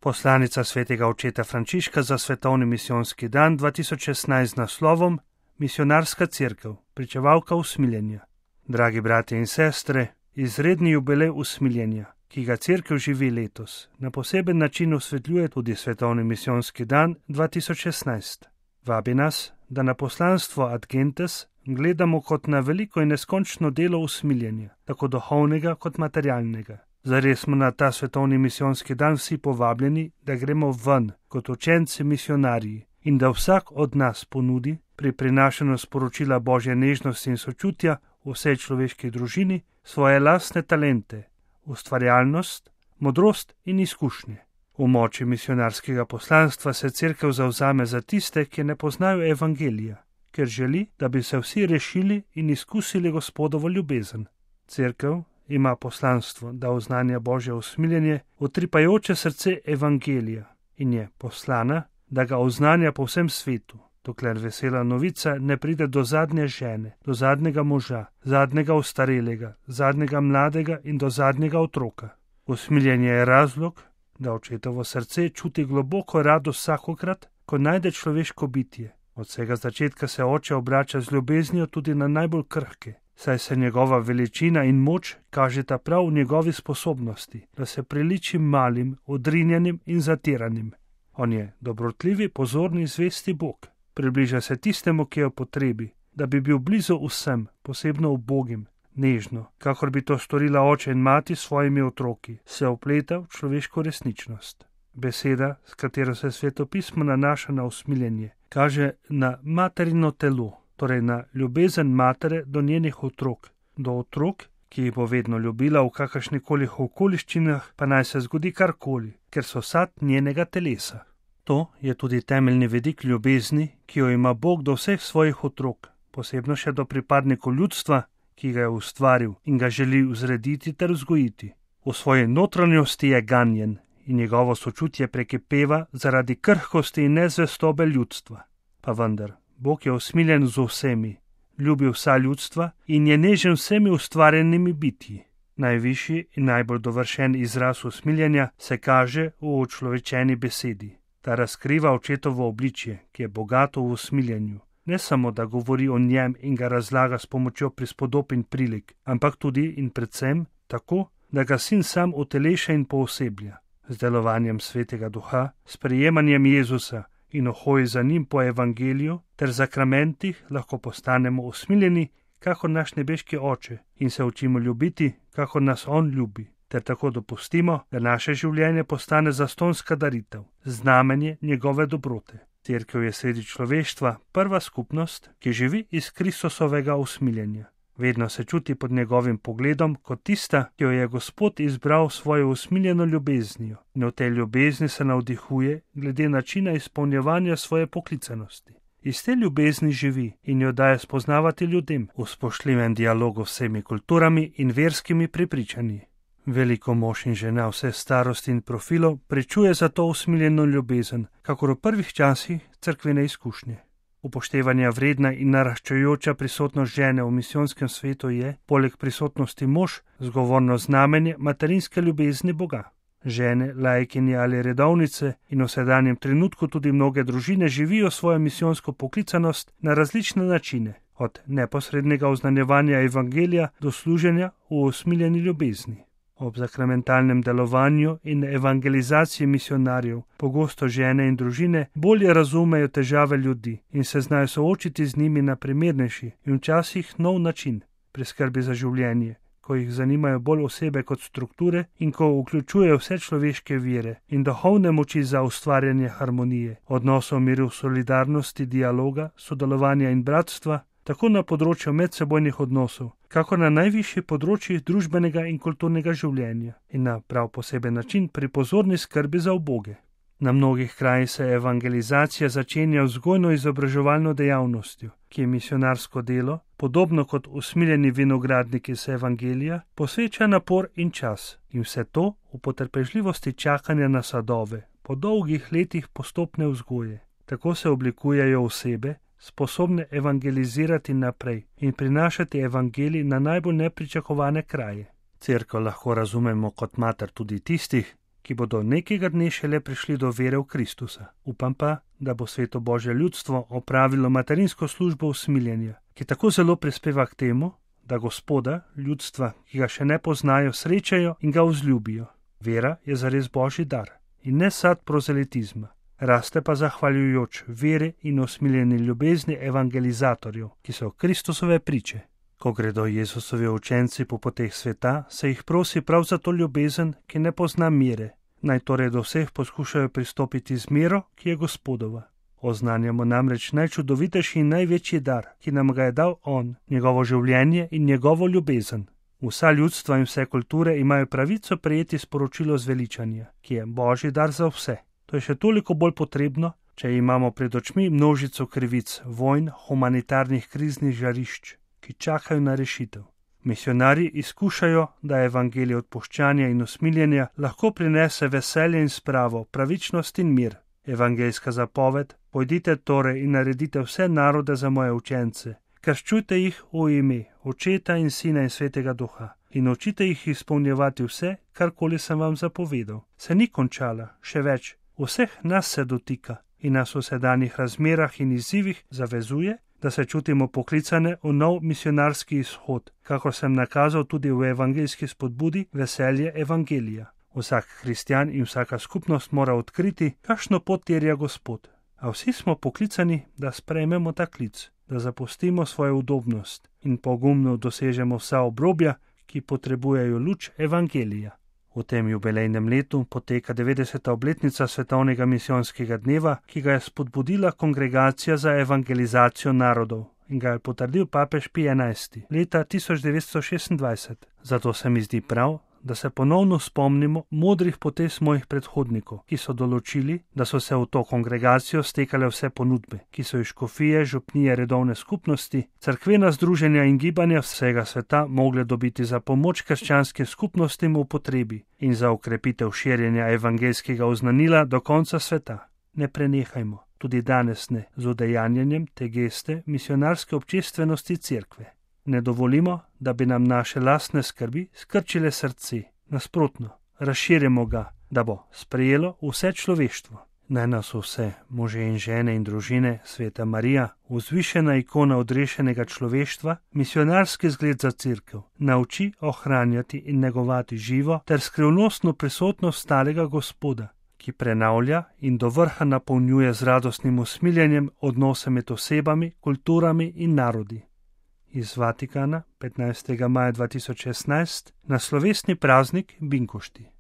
Poslanica svetega očeta Frančiška za svetovni misijonski dan 2016 z naslovom Misionarska cerkev, pričevalka usmiljenja. Dragi bratje in sestre, izredni jubilej usmiljenja, ki ga cerkev živi letos, na poseben način osvetljuje tudi svetovni misijonski dan 2016. Vabi nas, da na poslanstvo Ad Gentes gledamo kot na veliko in neskončno delo usmiljenja, tako duhovnega kot materialnega. Zares smo na ta svetovni misijonski dan vsi povabljeni, da gremo ven kot učenci misionarji in da vsak od nas ponudi pri prinašanju sporočila Božje nežnosti in sočutja vsej človeški družini svoje lastne talente, ustvarjalnost, modrost in izkušnje. V moči misionarskega poslanstva se cerkev zavzame za tiste, ki ne poznajo evangelija, ker želi, da bi se vsi rešili in izkusili Gospodovo ljubezen. Cerkev ima poslanstvo, da oznanja Božje usmiljenje, utripajoče srce evangelija in je poslana, da ga oznanja po vsem svetu, dokler vesela novica ne pride do zadnje žene, do zadnjega moža, zadnjega ostarelega, zadnjega mladega in do zadnjega otroka. Usmiljenje je razlog, da očetovo srce čuti globoko radost vsakokrat, ko najde človeško bitje. Od vsega začetka se oče obrača z ljubeznijo tudi na najbolj krhke, saj se njegova veličina in moč kažeta prav v njegovi sposobnosti, da se priliči malim, odrinjenim in zatiranim. On je dobrotljivi, pozorni, zvesti Bog. Približa se tistemu, ki je v potrebi, da bi bil blizu vsem, posebno ubogim, nežno, kakor bi to storila oče in mati s svojimi otroki, se vpleta v človeško resničnost. Beseda, s katero se svetopismo nanaša na usmiljenje, kaže na materino telo, torej na ljubezen matere do njenih otrok, do otrok, ki jih bo vedno ljubila v kakršnikoli okoliščinah, pa naj se zgodi karkoli, ker so sad njenega telesa. To je tudi temeljni vidik ljubezni, ki jo ima Bog do vseh svojih otrok, posebno še do pripadnikov ljudstva, ki ga je ustvaril in ga želi vzrediti ter vzgojiti. V svoji notranjosti je ganjen in njegovo sočutje prekipeva zaradi krhkosti in nezvestobe ljudstva. Pa vendar, Bog je usmiljen z vsemi, ljubi vsa ljudstva in je nežen vsemi ustvarjenimi bitji. Najvišji in najbolj dovršen izraz usmiljenja se kaže v učlovečeni besedi. Ta razkriva očetovo obličje, ki je bogato v usmiljenju. Ne samo, da govori o njem in ga razlaga s pomočjo prispodob in prilik, ampak tudi in predvsem tako, da ga sin sam uteleša in pooseblja. Z delovanjem Svetega Duha, sprejemanjem Jezusa in hoji za njim po evangeliju ter zakramentih lahko postanemo usmiljeni, kakor naš nebeški oče, in se učimo ljubiti, kakor nas on ljubi, ter tako dopustimo, da naše življenje postane zastonska daritev, znamenje njegove dobrote. Cerkev je sredi človeštva prva skupnost, ki živi iz Kristusovega usmiljenja. Vedno se čuti pod njegovim pogledom kot tista, ki jo je Gospod izbral svojo usmiljeno ljubeznijo, in v tej ljubezni se navdihuje glede načina izpolnjevanja svoje poklicanosti. Iz te ljubezni živi in jo daje spoznavati ljudem v spoštljivem dialogu s vsemi kulturami in verskimi prepričanji. Veliko mož in žena vse starosti in profilov prečuje za to usmiljeno ljubezen, kakor v prvih časih cerkvene izkušnje. Upoštevanja vredna in naraščajoča prisotnost žene v misijonskem svetu je, poleg prisotnosti mož, zgovorno znamenje materinske ljubezni Boga. Žene, laikinje ali redovnice in v sedanjem trenutku tudi mnoge družine živijo svojo misijonsko poklicanost na različne načine, od neposrednega oznanjevanja evangelija do služenja v usmiljeni ljubezni. Ob sakramentalnem delovanju in evangelizaciji misionarjev pogosto žene in družine bolje razumejo težave ljudi in se znajo soočiti z njimi na primernejši in včasih nov način pri skrbi za življenje, ko jih zanimajo bolj osebe kot strukture in ko vključujejo vse človeške vire in duhovne moči za ustvarjanje harmonije, odnosov miru, solidarnosti, dialoga, sodelovanja in bratstva, tako na področju medsebojnih odnosov, kakor na najvišjih področjih družbenega in kulturnega življenja in na prav poseben način pri pozorni skrbi za uboge. Na mnogih krajih se evangelizacija začenja vzgojno-izobraževalno dejavnostjo, ki je misionarsko delo, podobno kot usmiljeni vinogradniki z evangelija, posveča napor in čas in vse to v potrpežljivosti čakanja na sadove, po dolgih letih postopne vzgoje. Tako se oblikujejo osebe, sposobne evangelizirati naprej in prinašati evangelij na najbolj nepričakovane kraje. Cerkev lahko razumemo kot mater tudi tistih, ki bodo nekega dne šele prišli do vere v Kristusa. Upam pa, da bo sveto Božje ljudstvo opravilo materinsko službo usmiljenja, ki tako zelo prispeva k temu, da Gospoda, ljudstva, ki ga še ne poznajo, srečajo in ga vzljubijo. Vera je zares Božji dar in ne sad prozelitizma. Raste pa zahvaljujoč vere in usmiljeni ljubezni evangelizatorjev, ki so Kristusove priče. Ko gredo Jezusovi učenci po poteh sveta, se jih prosi prav za to ljubezen, ki ne pozna mere. Naj torej do vseh poskušajo pristopiti z mero, ki je Gospodova. Oznanjamo namreč najčudovitejši in največji dar, ki nam ga je dal On, njegovo življenje in njegovo ljubezen. Vsa ljudstva in vse kulture imajo pravico prejeti sporočilo zveličanja, ki je Božji dar za vse. To je še toliko bolj potrebno, če imamo pred očmi množico krivic, vojn, humanitarnih kriznih žarišč, ki čakajo na rešitev. Misionarji izkušajo, da evangelij odpuščanja in usmiljenja lahko prinese veselje in spravo, pravičnost in mir. Evangeljska zapoved: pojdite torej in naredite vse narode za moje učence, krščujte jih v ime Očeta in Sina in Svetega Duha in učite jih izpolnjevati vse, karkoli sem vam zapovedal. Se ni končala, še več, vseh nas se dotika in nas v sedanjih razmerah in izzivih zavezuje, da se čutimo poklicane v nov misionarski izhod, kakor sem nakazal tudi v evangeljski spodbudi Veselje evangelija. Vsak kristjan in vsaka skupnost mora odkriti, kakšno pot terja Gospod. A vsi smo poklicani, da sprejmemo ta klic, da zapustimo svojo udobnost in pogumno dosežemo vsa obrobja, ki potrebujejo luč evangelija. V tem jubilejnem letu poteka 90. obletnica Svetovnega misijonskega dneva, ki ga je spodbudila Kongregacija za evangelizacijo narodov in ga je potrdil papež Pij XI. leta 1926. Zato se mi zdi prav, da se ponovno spomnimo modrih potez mojih predhodnikov, ki so določili, da so se v to kongregacijo stekale vse ponudbe, ki so iz škofije, župnije, redovne skupnosti, cerkvena združenja in gibanja vsega sveta mogle dobiti za pomoč krščanskim skupnostim v potrebi in za ukrepitev širjenja evangeljskega oznanila do konca sveta. Ne prenehajmo, tudi danes ne, z udejanjanjem te geste misionarske občestvenosti cerkve. Ne dovolimo, da bi nam naše lastne skrbi skrčile srce. Nasprotno, razširimo ga, da bo sprejelo vse človeštvo. Naj nas vse, može in žene in družine, Sveta Marija, vzvišena ikona odrešenega človeštva, misionarski zgled za cerkev, nauči ohranjati in negovati živo ter skrivnostno prisotnost starega Gospoda, ki prenavlja in do vrha napolnjuje z radostnim usmiljenjem odnose med osebami, kulturami in narodi. Iz Vatikana 15. maja 2016 na slovesni praznik Binkošti.